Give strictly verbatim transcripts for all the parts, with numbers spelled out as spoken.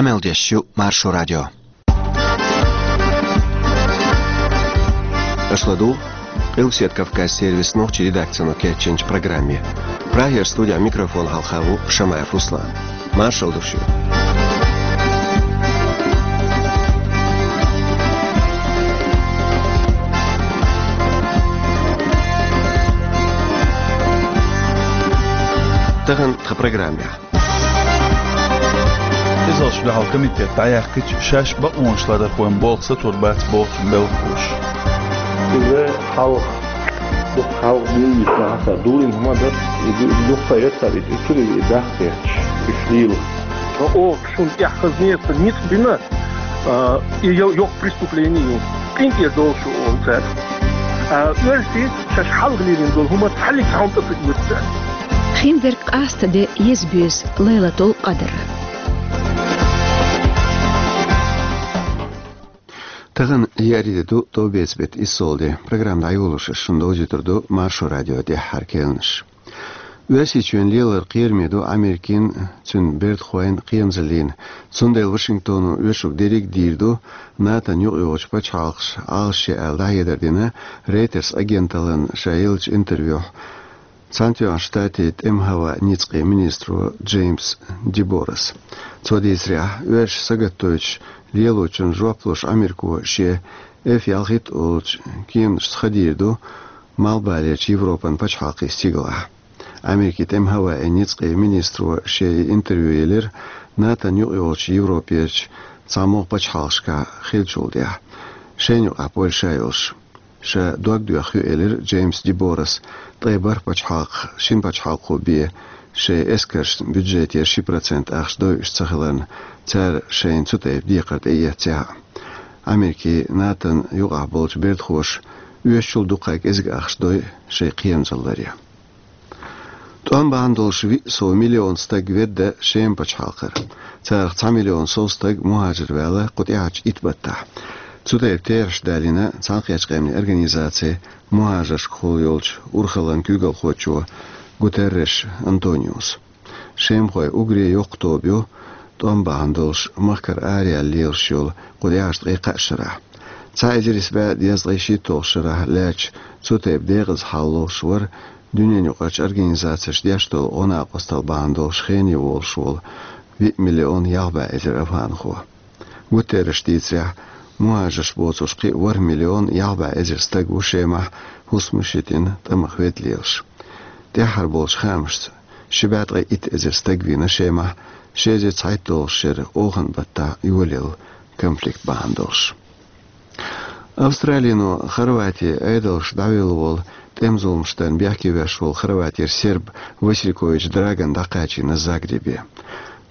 Къамел деш ю Маршо радио. Аша ладугӀу Къилбаседа Кавказ сервисан нохчийн редакцино кечйинчу программе. Прагера студехь микрофон хьалха ву Шамаев Руслан. Маршалла ду шуьга. Тахана тхан программехь. Къизаллаш дуьхьал комитет дӀаяьккхича, шаьш бакъонашларъярхойн болх сатур бац боху цуьнан белхалоша. Иза хьалха, дукха хьалха дуьйна йиш ма хьа, дуллина хӀума дара, и ду-, дукха ца эцара, и цуьнан и дахкхеташ, и лийла. Оха шуна тӀехь хаза неца ницкъ бина, а, и йо-, йоккха преступление ю. КъинтӀера долуш ю олу цара. А, оьрсий шаьш хьалха лелийна долу хӀума цхьаьнниг цхьа хӀума тӀе ца оьцу цара. Хиндерг къаста де еза-боьза Лайлатул-Къадр. Тахана еарин де ду, тӀом беца беттан иссалгӀа де. Программа дӀайолош ас шуна довзуьйтур ду Маршо радион тӀаьххьара керланаш. Оьрсийчоьнан лелар кхераме ду Америкин, цуьнан бердахойн кхерамзаллин. Цундела Вашингтоно оьшург дерриг а дийр ду, НАТОн юкъайогӀучу пачхьалкхаша Ӏалашъе аьлла дӀахьедар дина Рейтерс агенталлина ша еллачу интервьюхь Цхьаьнатоьхначу Штатийн тӀеман хӀаваан ницкъийн министро Джеймс Деборас. Цо дийцарехь, оьрсаша сагатдойтуш лелочунна жоп луш Америко шен эф ялхитта олучу кеманашца ха дийр ду Малхбалерчу Европан пачхьалкхийн стигалахь. Америкин тӀеман хӀаваан ницкъийн министро шен и интервью елира НАТОн юкъайогӀучу Европерчу цхьамогӀа пачхьалкхашкахь хиллачул тӀаьхьа, шайна юкъахь Польша а йолуш. Ша дог доьхна ю, элира Джеймс Деборас, ткъе бархӀ пачхьалкх шина пачхьалкхо бен шайн эскаршна бюджетера ши процент ахча дойуш ца хиларна, цара шайна цу тайпа декхар тӀеэцнехь а. Америкин, НАТОн юкъахь болчу бердахоша оьшучул дуккха кӀезиг ахча дой шайн кхерамзалларе. ТӀом бахьана долуш виъ сов миллион стаг ведда Шеман пачхьалкхара. Царах цхьа миллион сов стаг мухӀажар ваьлла кху тӀаьхьарчу итт баттахь. Цу тайпа терахьаш далийна Цхьаьнакхеттачу Къаьмнийн Организацин мухӀажаршкахула йолчу урхаллан куьйгалхочо Гутерреш Антониус. Шемахой уггаре йоккха тоба ю, тӀом бахьана долуш махкара араяьлла лелаш йолу кху тӀаьхьарчу ткъе кхаа шарахь. Цхьа эзар исс бӀе дезткъе шийтталгӀачу шарахь лаьттачу цу тайпа декъаза хьал лохуш вара дуьненаюкъарчу организацеша деш долу гӀо-накъосталла бахьана долуш хене волуш волу виъ миллион ялх бӀе эзар афганхо. Гутерреша дийцарехь, мухӀажарш боцуш кхин а ворхӀ миллион ялх бӀе эзар стаг ву Шемахь хӀусамаш йитина, тӀамах ведда лелаш. ТӀаьххьара болчу хаамашца, ши бӀе ткъе итт эзар стаг вийна Шемахь ши эзар цхьайтталгӀачу шеран оханан баттахь йолаелла конфликт бахьана долуш. Австралино Хорватин Ӏедалша дӀавелла волу тӀеман зуламаш дарна бехке веш волу Хорватера серб Василькович Драган дӀакхачийна Загребе.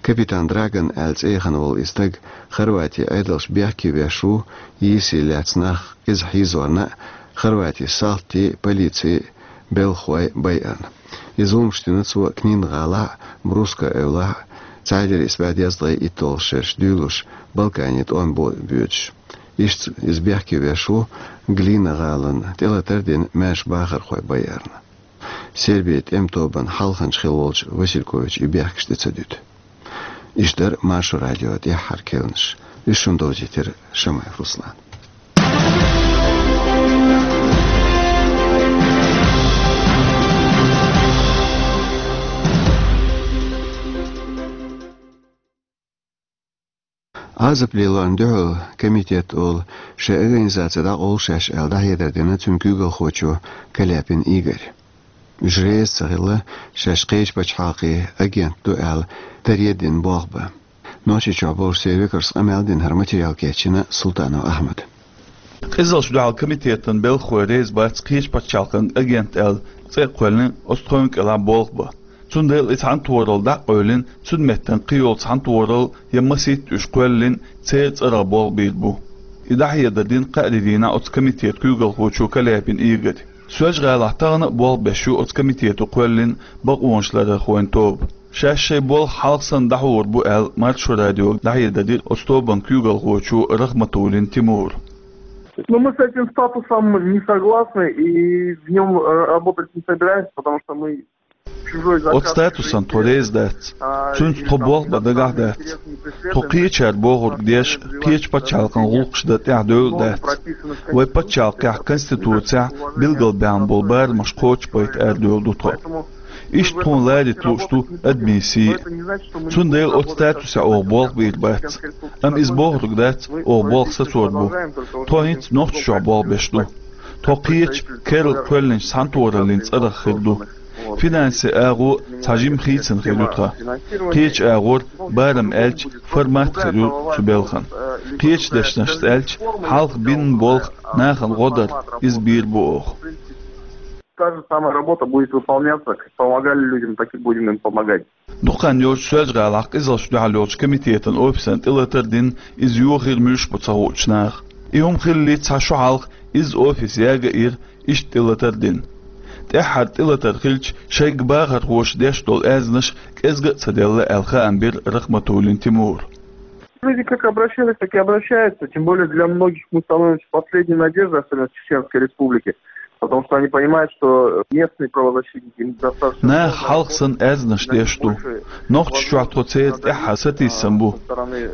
Капитан Драган аьлла цӀе яхана волу и стаг Хорватин Ӏедалша бехке веш ву, йийсий лаьцна нах иза хьийзорна а, Хорватин салтий, полиций, белхахой байарна. И зуламаш дина цо Книн-гӀалахь а, Бруско эвлахь а, цхьа эзар исс бӀе дезткъе итталгӀачу шераш дуьйлуш Балканийн тӀом бо-, боьдуш. Иштта иза бехке веш ву Глина-гӀалина, тӀелатар а дина, маьрша бахархой байарна. Сербин тӀеман тобанан хьалханча хилла волчу Васильковича и бехкаш тӀе ца дуьту. Иштта дара Маршо радион тӀаьххьара керланаш. Уьш шуна довзийтира Шамаев Руслана. Ӏазап лелорна дуьхьал комитет олу шайн организаци дӀакъовла шаьш аьлла дӀахьедар дина цуьнан куьйгалхочо Каляпин Игорь. Уьш реза ца хилла, шаьш кхечу пачхьалкхийн агент ду аьлла, таре а дина болх бан. Нохчийчохь болуш церан векалшца къамел а дина, хӀара материал кечйина Султанов Ахьмада. Къизаллаш дуьхьал комитетан белхахой реза бац кхечу пачхьалкхан агент аьлла цӀе а кхоьллина оцу тховна кӀелахь болх бан. Цундела и цхьаьнатохаралла дӀа а къевлина, цуьнан меттана кхин йолу цхьаьнатохаралла я масийтта уьш кхоьллина, церан цӀарах болх бийр бу. И дӀахьедар дина кхаарин дийнахь оцу комитетан куьйгалхочо Каляпин Игорь. Соьлжа-ГӀалахь тахана а болх беш ю оцу комитето кхоьллина бакъонашларъярхойн тоба. Шаьш шайн болх хьалха санна дӀахьур бу аьлла, Маршо радиога дӀахьедар дира оцу тобанан куьйгалхочо Рахматуллин Тимура. Ну, мы с этим статусом не согласны и в нём, э, работать не собираемся, потому что мы... Оцу статусан тхо реза дац. Цуьнца тхо болх бан дагахь дац. Тхо кхечара бохург деш, кхечу пачхьалкхан гӀуллакхаш дан тӀаьхьа девлла дац. Вай пачхьалкхехь, Конституцехь билгалбаьхна болу барамаш кхочушбайта арадевлла ду тхо. Иштта тхуна ларийта лууш ду адамийн сий. Цундела оцу статусехь оха болх бийр бац. Амма иза бохург дац, оха болх сацор бу. Тхо хӀинца Нохчийчохь болх беш ду. Тхо кхечу керла кхоьллинчу цхьаьнатохараллин цӀарах хир ду. Финансийн агӀо цхьа жимма хийцина хир ю тхан. Кхечу агӀор, барам аьлча, формат хир ю цу белхан. Кхечу дешнашца аьлча, хьалха бинна болх нахана гӀо дар, иза бийр бу оха. Та же самая работа будет выполняться, как помогали людям, так и будем им помогать. Дукха хан йоцуш Соьлжа-ГӀалахь къизаллаш дуьхьал йолчу комитетан офисан тӀелатар дина, иза йохийра муьлш бу ца хуучу наха. И хӀума хиллалц цхьа шо хьалха иза офис яга а йира, иштта тӀелатар дина. ТӀаьххьара тӀелатар хилча, шайга бахархоша деш долу аьзнаш кӀезга а ца делла аьлла хаам бира Рахматуллин Тимура. Люди как обращались, так и обращаются. Тем более для многих мы становимся последней надеждой, особенно в Чеченской Республике. Потому что они понимают, что местные правозащитники им достаточно... Наха хьалха санна аьзнаш деш ду. Нохчийчохь тхо церан тӀаьххьара сатийсам бу.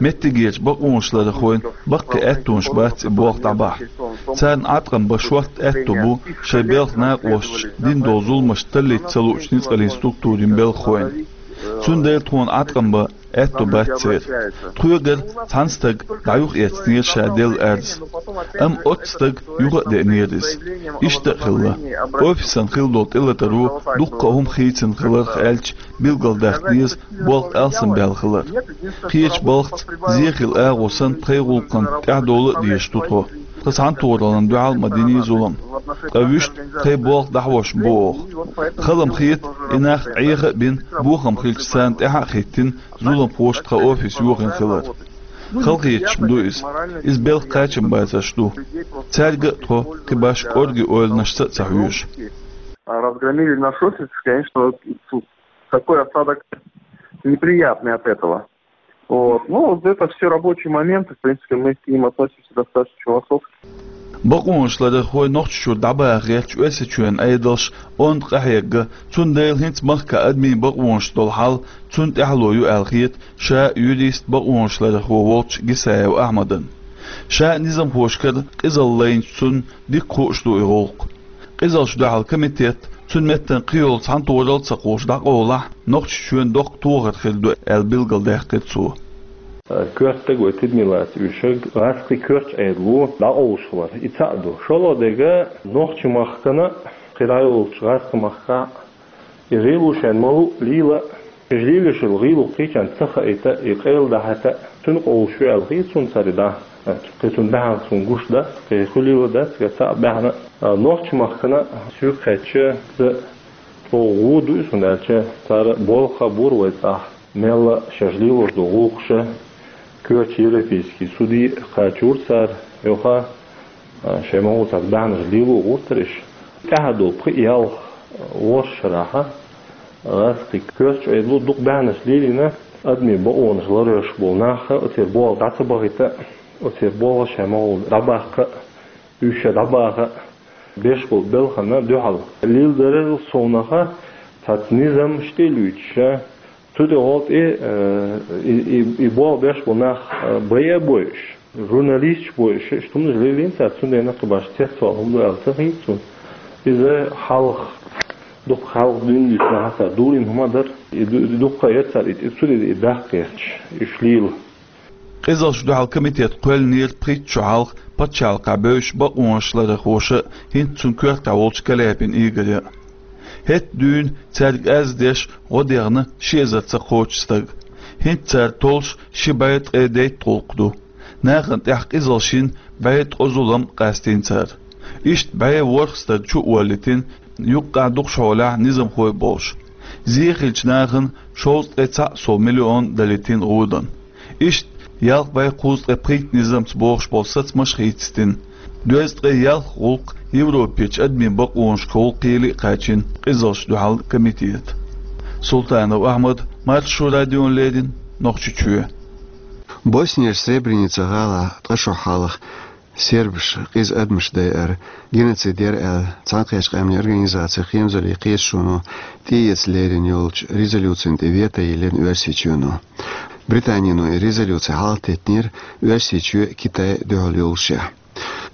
Меттигерчу бакъонашларъярхойн баккхий аьттонаш бац и болх дӀабахьа. Царна Ӏаткъам бан шортта аьтто бу шайн белхан накъосташа дина долу зуламаш таллийта ца луучу ницкъаллин структурийн белхахойн. Цундела тхуна Ӏаткъам бан аьтто бац церан. Тхоьгара цхьана стага дӀа юхаэцнера ша делла арз. Амма оццу стага юха а деънера иза. Иштта а хилла. Офисан хилла долу тӀелатаро дуккха а хӀума хийцина хиларх аьлча, билгалдаккха деза болх алсамбаьлла хилар. Кхечу балхаца, зен хилла агӀо санна, тхайн гӀуллакхана тӀаьхьадовла а дезаш ду тхо. Тхан цхьаьнатохараллина дуьхьал ма динний зулам. Ткъа вуьшта тхайн болх дӀахьош бу оха. Хала-м хета, и нах Ӏеха а бина, бохам хилча царна тӀаьхьа а хӀиттина, зуламхоша тхан офис йохийна хилар. Халахеташ-м ду иза. Иза белхан кхачам бацарш ду. Цаьрга а тхо кхин башха кӀорге ойланашца а ца хьоьжу. Разгромили наш офис, конечно, такой осадок неприятный от этого. Вот. Ну, вот это все рабочие моменты, в принципе, мы к ним относимся достаточно философски. Бакъонашларъярхой Нохчийчуьра дӀабаха гӀерташ Оьрсийчоьнан Ӏедалш онда къахьегна, цундела хӀинца махкахь адамийн бакъонаш долу хьал цунна тӀаьхьало ю аьлла хета ша юрист, бакъонашларъярхо волчу Гисаев Ахьмадна. Ша низамхошкара къизалла лайначу цунна дика хууш ду и гӀуллакх. Къизаллаш дуьхьал комитет, цуьнан меттана кхин йолу цхьаьнатохаралла а ца кхуллуш дӀакъовлахь, Нохчийчоьнан доккха тохар хир ду аьлла билгалдаьккхира цо. Коьртаг вай тидаме лаца уьйшург гӀазкхийн коьртачу Ӏедало дӀакъовлуш хилар, и цхьаъ ду. ШолгӀа дерг, нохчийн махкана, кхин дӀайолучу гӀазкхийн махкахь, и гӀийло шайна ма-луъу лела, уьш лелош йолу гӀийло кхечарна ца хаийта, и къайладахьийта, цуьнан къовлуш ю аьлла хета суна цара и дӀа. Кхин цунна баьхьанаш суна гуш дац, кхин хуьлийла дац, кхин цхьаъ баьхьна. Нохчийн махкана соьга хаьттича, иза чӀогӀа гӀо ду и суна, аьлча, цара болх а бора вай цӀахь. Мелла шаьш лелош долу гӀуллакхаш коьртачу Европейский суде кхачийра цара, юха, а, шайн могӀа цхьацца баьхьнаш лело гӀортара уьш. ТӀаьхьа долу пхи-ялх, а, ворхӀ шарахь, а, гӀазкхийн коьртачу Ӏедало дукха баьхьнаш лелийна, адамийн бакъонаш ларъеш болу нах оцеран болх дӀа ца бахийта, оцеран болх шайн могӀа дӀабаккха, уьш ша дӀабаха беш болу белхана дуьхьал. Леладарал совнаха цхьацца низамаш тӀе а луьйчуша, цу тӀехула тӀе, э, и, и, и болх беш болу нах, э, байа а бойуш, журналисташ бойуш, иштта хӀуманаш лелийна цара, цундела кхин башха цецвала хӀума ду аьлла ца хета суна. Иза хьалха, дукха хьалха дуьйна дуьйцу нахаца дурийна хӀума дара, и ду-, и дуккха а яра цара и, и цу тӀе и даккха гӀерташ, уьш лела. Къизаллаш дуьхьал комитет кхоьллинера пхийтта шо хьалха пачхьалкхехь бевзаш бакъонашларъярхоша, хӀинца цуьнан коьртехь волчу Каляпин Игоря. ХӀетахь дуьйна цаьрга арз деш гӀо дехна ши эзарца кхочуш стаг. ХӀинца цара толлуш ши бӀе ткъе дейтта гӀуллакх ду. Нахана тӀехь къизаллаш йина бӀе ткъа зулам къастийна цара. Иштта бӀе ворхӀ стаг чу а воллийтина, юккъехь дукхачу хьолехь низамхой а болуш. Зен хиллачу нахана шовзткъе цхьаъ сов миллион далийтина гӀодан. Иштта ялх бӀе кхузткъе пхийтта низамца бохуш болу сацамаш а хийцаийтина. Доьзткъе ялх гӀуллакх Европерчу адамийн бакъонашкахула кхеле а кхаьчна къизаллаш дуьхьал комитета. Султанов Ахьмад, Маршо радиона леррина, Нохчийчоь. Боснияш Сребреница гӀалахь ткъа шо хьалха Сербаша къиза адамаш дайар геноцид яр аьлла, Цхьаьнакхеттача Къаьмнийн Организацин хемзаллин кхеташоно тӀеэца лерина йолча резолюцина тӀа вето йиллина Оьрсийчоно. Британено и резолюци хьалхатеттинера Оьрсийчоь Китайна дуьхьал йоллашехь.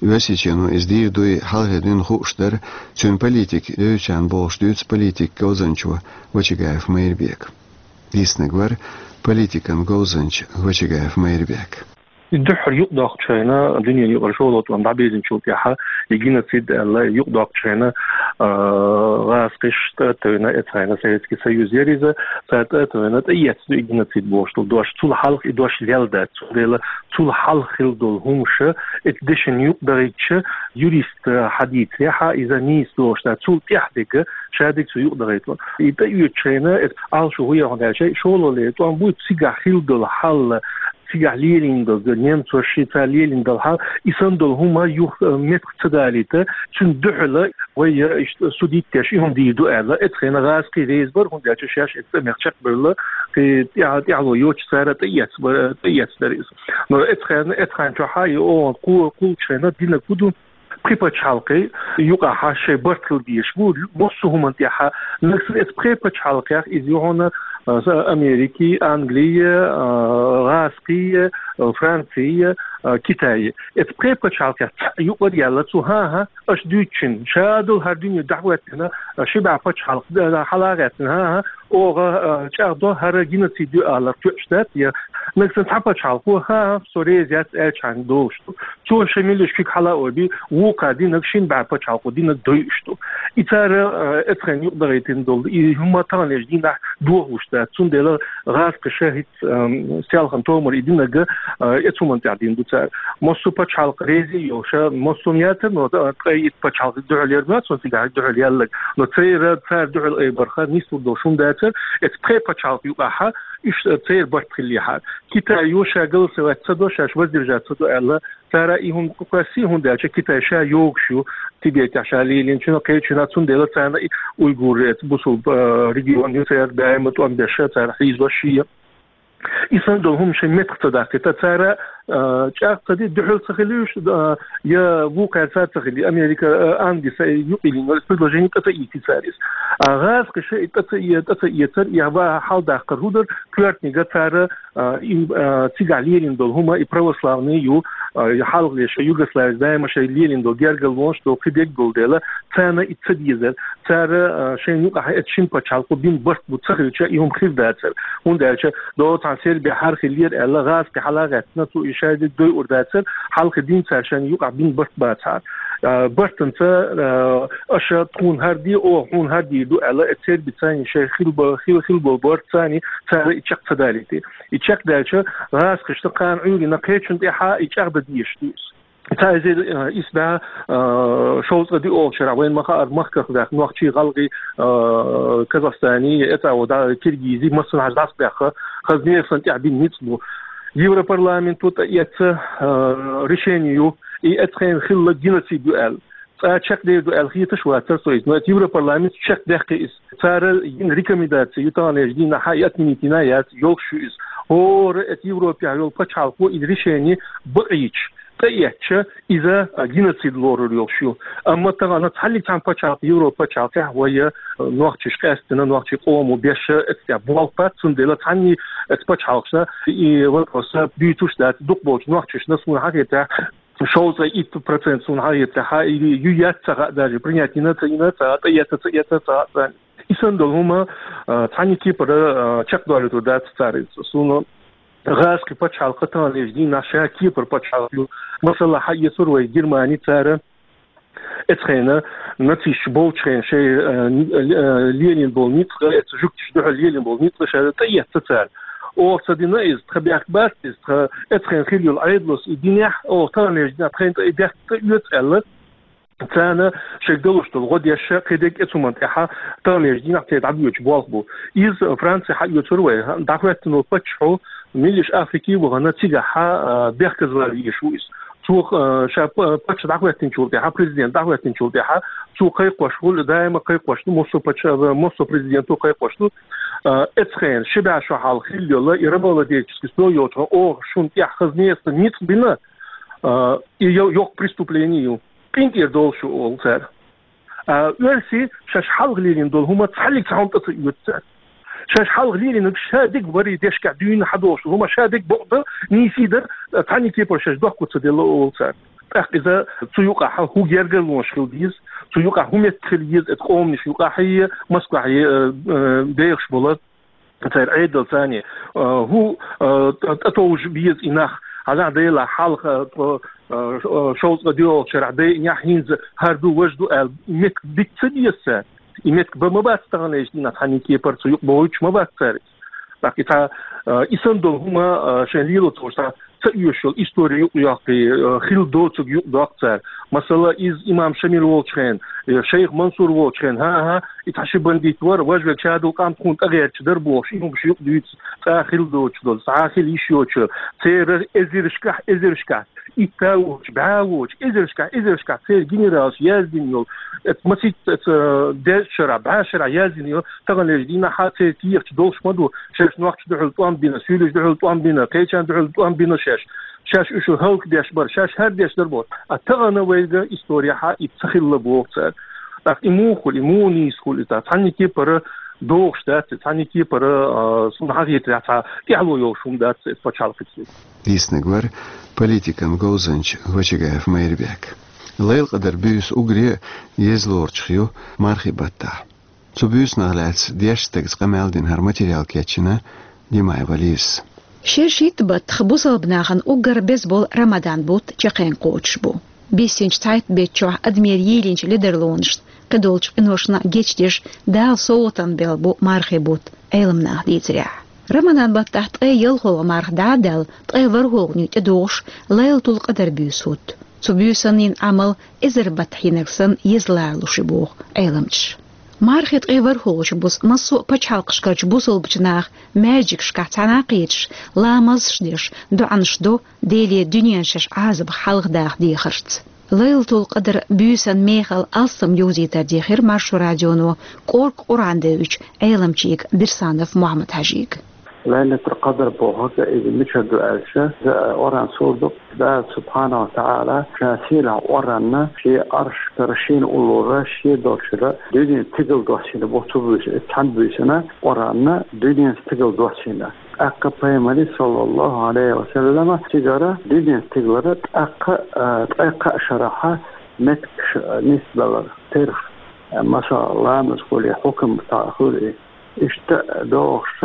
Оьрсийчоно иза дийр дуй хьалхале дуьйна хууш дар цуьнан политика девзачарна, бохуш дуьйцу политикан говзанчо Вачагаев Майрбека. Дийцинарг вара политикан говзанча Вачагаев Майрбек. Дуьххьара юкъадоккхучу хенахь, дуьненан юкъара шолгӀа тӀом дӀабирзинчул тӀаьхьа, и геноцид аьлла юкъадоккхучу хенахь, а, гӀазкхаша тӀе а тевна, эцу хенахь Советский Союз яр иза, цара тӀе а тевна, тӀеэцна ду и геноцид бохуш долу дош. Цул хьалха и дош лелла дац. Цундела цул хьалха хилла долу хӀумнаш, эцу дешан юкъа дахийтича, юрист хьадийцарехь, иза нийса долуш дац. Цул тӀаьхьа дерг, ша дерг цу юкъа дахийтало. И тӀеоьцучу хенахь, эцу Ӏалашо хӀун яра аьлча, шолгӀа лерина тӀом буй, цигахь хилла долу хьал, цигахь лелийна долу, немцоша ши цара лелийна долу хьал, и санна долу хӀума юха, э, меттах ца далийта, цуьнан дуьхьала вай, э, иштта судить деш, и хӀума дийр ду аьлла, эцу хенахь гӀазкхий реза бара, хӀунда аьлча шаьш эцу тӀамех чекхбевлла, кхин тӀаьхьа-, тӀаьхьало йоцуш цара тӀеэцна бара, тӀеэцна дара иза. Но эцу хенахь, эцу хенахь чохь а и оха кху-, кхуллучу хенахь динарг хӀун ду? Пхи пачхьалкхе юкъахь шайн барт хила дезаш бу, массо а хӀуманна тӀехь. Нагахь санна эцу пхи пачхьалкхех иза ю хьуна, а, са-, Америки, Англи, а, гӀазкхи, а, Франци, а, Китай. Эцу пхи пачхьалкхех цхьаъ юкъара яьлла цо, хӀан-хӀа, аша дуьйцучун, ша долу хӀара дуьне дӀахӀоьттина, а, ши бӀе пачхьалкх, а, хьала а гӀаьттина, хӀан-хӀа, оха, а, чӀагӀдо хӀара геноцид ю аларх тоьуш дац, я нагахь санна цхьа пачхьалкхо, хӀан-хӀа, со реза яц аьлчхьана долуш ду. Цо шайн меллаша куьг хьала а ойбий, вукхара динарг шина бӀе пачхьалкхо динарг дойуш ду. И цара, а, эцу хенахь юкъа дахийтина долу и хӀума таханлерчу дийнахь дохалуш дац. Цундела гӀазкхаша хӀинца, ам, селхана томара и динарг, а, эцу хӀуманна тӀехь дина ду цара. Массо а пачхьалкх реза йолуш, массо а яцара, но, а, ткъе итт пачхьалкх дуьхьал яр ма, цунна цигахь дуьхьал яьлларг. Но церан, цара дуьхьал айбарх нислур долу хӀума дацара, эцу пхи пачхьалкх юкъахь уьш, а, церан барт хиллехьара. Китай ю ша голосовать ца до, шаьш воздержаться ду аьлла, цара и хӀума кхоьссий, хӀунда аьлча Китай ша йогуш ю Тибетехь ша лелийначунах, кхечунах, цундела царна и уйгураш, эцу бусулба, а, регион ю, церан даима тӀом беш, цара хьийзош ю. И санна долу хӀума шайн меттах ца даккхийта, цара, а, чӀагӀ ца ди, дуьхьал ца хила уьш, а, я вукхара цара ца хила, Америка, а, Англис юкъа йиллина, предложени тӀе ца ийци цара иза. А гӀазкхаша и тӀе ца э-, тӀе ца эцар, я ва хьаладаккхар хӀун дара, коьртаниг цара а, и, а, цигахь лелийна долу хӀума и православный ю, а, и хьалхале шайн Югославица даима шайн лелийна долу гергарлонаш долу кхин дерг долу дела, царна и ца дезара. Цара, а, шайна юкъахь эцу шина пачхьалкхо бина барт бу ца хилча, и хӀума хир дацара. ХӀунда аьлча, догӀу цхьана Сербехь хӀара хилла яр аьлла, гӀазкхи хьала а гӀаьттина, цо и шайдерг дойур дацара, хьалха дин цара шайна юкъахь бина барт бацахьара. А, бартанца, а, аша тхуна хӀара де, оха хьуна хӀара дийр ду аьлла, эцу Сербица шайн хилла бо-, хилла, хилла болу барт царна, цара и чекх ца далийти. И чекхдаьлча, гӀазкхашна кхана Ӏуьйранна кхечунна тӀехь и чӀагӀдан дезаш ду иза. Цхьа эзар, а, исс бӀе, а, шовзткъе диъолгӀачу шарахь вайна ма-хаъара махках ваьхна нохчий, гӀалгӀай, а, Казахстани, эцӀа а вода, киргизи, массанхьа дӀасабаьхна, хаза нехан тӀехь бина ницкъ бу. Европарламенто тӀеэцна, а, решени ю, и эцу хенахь хилла геноцид ю аьлла. Цкъа чекхдер ду аьлла хеташ вацара со иза, но эцу Европарламенто чекхдаьккхи иза. Цара йина рекомендаци ю таханлерчу дийнахь и отменить йина яц, йолуш ю иза. ХӀора эцу Европехь йолу пачхьалкхо и решени бакъийча, тӀеэцча, иза, а, геноцид лорур йолуш ю. Амма тахана цхьаннег цхьана пачхьалкх, Европа пачхьалкхехь вай, а, нохчаш къаьстина, нохчийн къомо беш эцу тӀехь болх бац, цундела цхьанне эцу пачхьалкхашна и вопрос дуьйцуш дац, дукхахболчу нохчашна, суна хетарехь, шовзткъе итт процент суна хьахетарехь, и ю яц ца хаьа, даже принять йина ца йина ца хаьа, тӀеэцна ца эцна ца хаьа царна. И санна долу хӀума, а, цхьанне кепара, а, чекхдолуьйтур дац цара иза. Суна гӀазкхи пачхьалкх таханлерчу дийнахь ша кепара пачхьалкх ю. Масала, хьаэцур вай Германи, цара эцу хенахь нацисташ болчу хенахь шайн, а, а, лелийна болу ницкъ, эцу жуьгташа дуьхьал лелийна болу ницкъ ша тӀеэцна цара. Оха ца дина иза, тхан бехк бац иза, тхан эцу хенахь хилла йолу Ӏедало и динехь, оха таханлерчу дийнахь тхайна тӀе и бехк тӀеоьцу аьлла, царна шайга далуш долу гӀо деш, кхин дерг эцу хӀуманна тӀехь таханлерчу дийнахь церан дӀабоьдуш болх бу. Иза Франци хьаоьцур вай, дӀахӀоьттина волу паччахьо милла Африки а вахана, цигахь, а, бехказло везаш ву иза. Цо, а, ша па-, паччахь дӀахӀоьттинчул тӀаьхьа, президент дӀахӀоьттинчул тӀаьхьа, цо кхайкхош ву, даима кхайкхош ду, массо а паччахь, массо а президенто кхайкхош ду. А, эцу хенахь, ши бӀе шо хьалха хилла йолу, и рабовладельческий строй йолчу хенахь, оха шуна тӀехь хаза нехан ницкъ бина, А, и йо-, йоккха преступление ю. КъинтӀера довла шу, олу цара. А, оьрсий шаьш хьалха лелийна долу хӀума цхьаллиг цхьа хӀума тӀе ца оьцу цара. Шаьш хьалха лелийнарг шадерг варий дешкахь дуьйна хьадолуш долу хӀума шадерг бакъ дан, нийсий дар, цхьанна кепара шаьш дохко ца делла, олу цара. ТӀаккха иза цу юкъахь хӀун гергарлонаш хила деза, цу юкъахь хӀун меттиг хила еза, эта къоманаш юкъахь а, Москвахь а, э, э, бехаш болу церан Ӏедал царний, э, хӀун, э, тӀ-, тӀетовжа беза и нах, хьажахь, Делахь, хьалха, э, тхо, э, ш-, э, шовзткъе доьалгӀачу шарахь дайинехь, хӀинца хӀара ду, важа ду аьлла, меттиг дита ца беза цара. И меттиг бан ма бац таханлерчу дийнахь, цхьанна кепара цу юкъа бохуьйтуш ма бац цара. ТӀаккха и цхьа, э, и санна долу хӀума, э, шайн лело ца волуш, цхьа ца оьшуш йолу истори юкъа йоккхий, э, хилла доцург юкъа доккху цара. Масала, иза имам Шамил волчу хенахь, э, шайх Мансур волчу хенахь, хӀан-хӀа, и цхьа ши бандит вара, важа верг шадолу къам тхуна тӀегӀерташ дара бохуш, и хӀумаш юкъа дуьйцу, цкъа а хилла доцуш долу, цхьа а хила йиш йоцуш, церан эзаршкахь, эзаршкахь итт а воцуш, бӀе а воцуш, эзаршкахь, эзаршкахь церан генералаша яздина йолу, эца масийтта, эца дезачу шарахь, бӀе шарахь яздина йолу, таханлерчу дийнахь церан кехаташ долуш ма ду, шаьш нохчашна дуьхьал тӀом бина, суьйлашна дуьхьал тӀом бина, кхечарна дуьхьал тӀом бина шаьш. Шаьш уьш хӀаллакдеш бара, шаьш хӀара деш дара боху. Ткъа тахана вайга историяхь и ца хилла боху цара. ТӀаккха и муха хуьлу, и муха нийса хуьлу, иза цхьанна кепара догӀуш дац, цхьанна кепара, а, суна хьахетарехь, цхьа тӀаьхьало йолуш хӀума дац иза пачхьалкхаца. Дийцинарг вара политикан говзанча Гочагаев Майрбек. Лайлакъадар буьйса уггаре а еза лоручух ю мархи баттахь. Цу буьйсанах лаьцна дешначу стагаца къамел дина хӀара материал кечйина Димаева Лизас. Шершитта баттах бусалба нахана уггар беза болу Рамадан бутт чекхйен кхочуш бу. Биссинчу цхьайтта беттан чохь адамера йийлинчу ледарлонашна, кхидолчу къиношна гечдеш, Дала совгӀатана белла бу мархи бутт, Ӏеламнаха дийцарехь. Рамадан баттахь ткъе ялхолгӀа марха дӀа а даьлла, ткъе ворхӀолгӀане тӀедогӀуш Лайлатул-Къадар буьйса хӀутту. Цу буьйсанна йина Ӏамал эзар баттахь йинарг санна еза ларалуш ю боху Ӏеламчаша. Мархин ткъе ворхӀолгӀачу бусу массо а пачхьалкхашкарчу бусалбачу наха маьждигашкахь цхьаьна кхеташ, ламазаш деш, доӀанаш до, Деле дуьненан шаьш Ӏазапах хьалхадаха дехарца. Лайлатул-Къадар буьйсан мехала алсам йовзийтар дийхира Маршо радионо кӀорга Къуръан девзачу Ӏеламчига Бирсанов Мухьаммад-Хьажига. Лайлатул-Къадр бохург иза мичара ду аьлча, иза Къуръан сура ду, Дала субхьанаху ва тагӀала ша сийлахь Къуръанна шен Ӏаршкара шена уллора шен долчуьра дуьненан стигала доссийна боху цу буьйса, и цхьана буьйсанна Къуръанна дуьненан стигала доссийна. ТӀаккха Пайхамаре, саллаллаху Ӏалайхи ва саллама, цигара дуьненан стигалара тӀаккха, а, ткъе кхаа шарахь меттигаш, а, нисбелира, терах, а, масала, ламаз хуьлий, хьукам цхьаъ хуьлий. Иштта догӀуш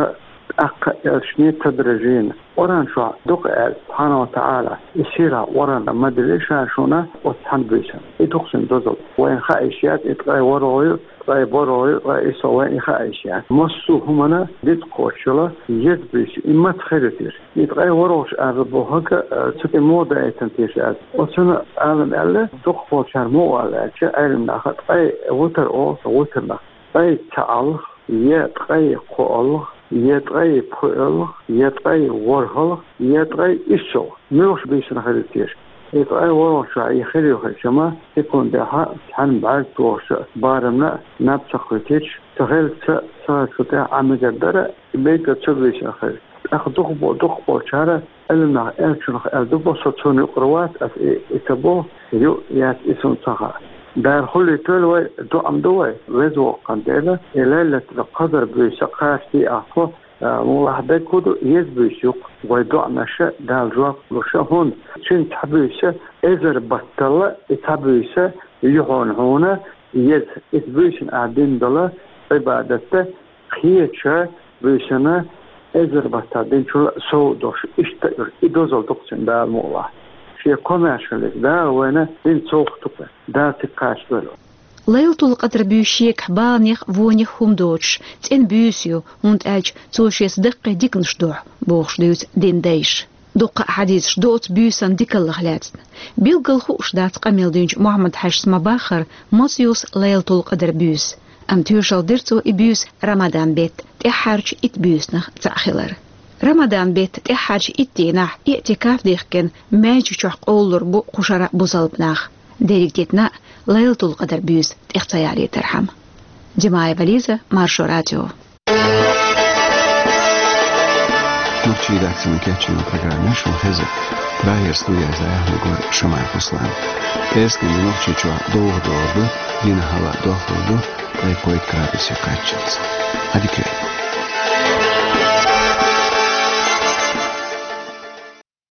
тӀаккха элчане тадрижан. Къуръан чохь дукха аьлла, субхьанаху ва тагӀала, и сийлахь Къуръан ма дели ша шуна оцу цхьана буьйсанна. И дукха цуьнан дозалла. Вайна хаа йиш яц, и ткъе ворхӀ ю, ткъе ворхӀ ю, ткъе исс ю, вайна и хаа йиш яц. Массо а хӀуманна дицкхочуш йолу еза буьйса ю. И маца хир ю теша? И ткъе ворхӀалгӀачу ала бохург, э, цу тӀе муха даийтина теша аьлла. Оцунна Ӏалам аьлла, дукхахболчара муха аьлла аьлча, Ӏеламнаха ткъе витр олу, витрнах. Ткъе цхьаалгӀа, я ткъе кхоалгӀа, я ткъе пхоьалгӀа, я ткъе ворхӀалгӀа, я ткъе иссалгӀа. Муьлхачу буьйсанна хир ю теша? И ткъе ворхӀалгӀачохь и хир ю хилча-м, секундехь цхьана бӀаьрг тохучу барамна наб ца кхуьйтуьйтуш, ца хилча, ца хилча тӀехь Ӏан мегар дара, и мегар цу буьйсанна хир ю. ТӀаккха дукхахбо-, дукхахболчара Ӏеламнаха аьллачунах аьлла ду бо, со цунна юкъара вац, ас и, и ца бо, ю, яц, и суна ца хаьа. Дала хуьлуьйтийла вай, доӀа ма до вай, Веза Воккхачу Дела, и Лайлатул-Къадр буьйса кхачадо ахь тхо, а, муха аьлча дерг хӀун ду, еза буьйса ю-кх, вай доӀанашна Дала жоп луш, хӀунда цуьнан цхьа буьйса эзар баттал, и цхьа буьйса ю хьуна еза, и цхьа буьйсанна ахь дина долу Ӏибадат, кхечу буьйсанна эзар баттахь динчул сов долуш, иштта а, и дозалла ду-кх цуьнан, Дала мукъалахь. Шен комаьршаллица Дала вайна дин совгӀат ду-кх, Дала цига кхачадойла. Лайлатул-Къадр буьйса шегахь баланех а, вонех а хӀума доцуш, цӀена буьйса ю, хӀунда аьлча цо шеца даккхий диканаш дохьу, бохуш дуьйцу динан дайша. Дуккха а хьадисаш ду оцу буьйсан дикаллех лаьцна. Билггал хууш дац къамел динчу Мухьаммад-Хьаьжас ма-баххара, маца юсу Лайлатул-Къадр буьйса. Амма тоьшалла дира цо и буьйса Рамадан беттан тӀаьххьарчу итт буьйсанах цхьаъ хилар. Рамадан беттан тӀаьххьарчу итт дийнахь иӀтикаф дихкина маьждиг чохь къовлалур бу кху шарахь бусалба нах, дерриг дитина а Лайлатул-Къадр буьйса тӀех ца ялийтархьама. Димаева Лиза, Маршо радио. Нохчийн редакциин кечйина программа шун хеза. Прагера студеш дӀаяхьнарг вар Шамаев Руслан. Эрсий денз Нохчийчохь довха догӀур ду, дийнахь хьалха дохлур ду, ткъе кхойтта градусе кхаччалц. Ӏадика йойла.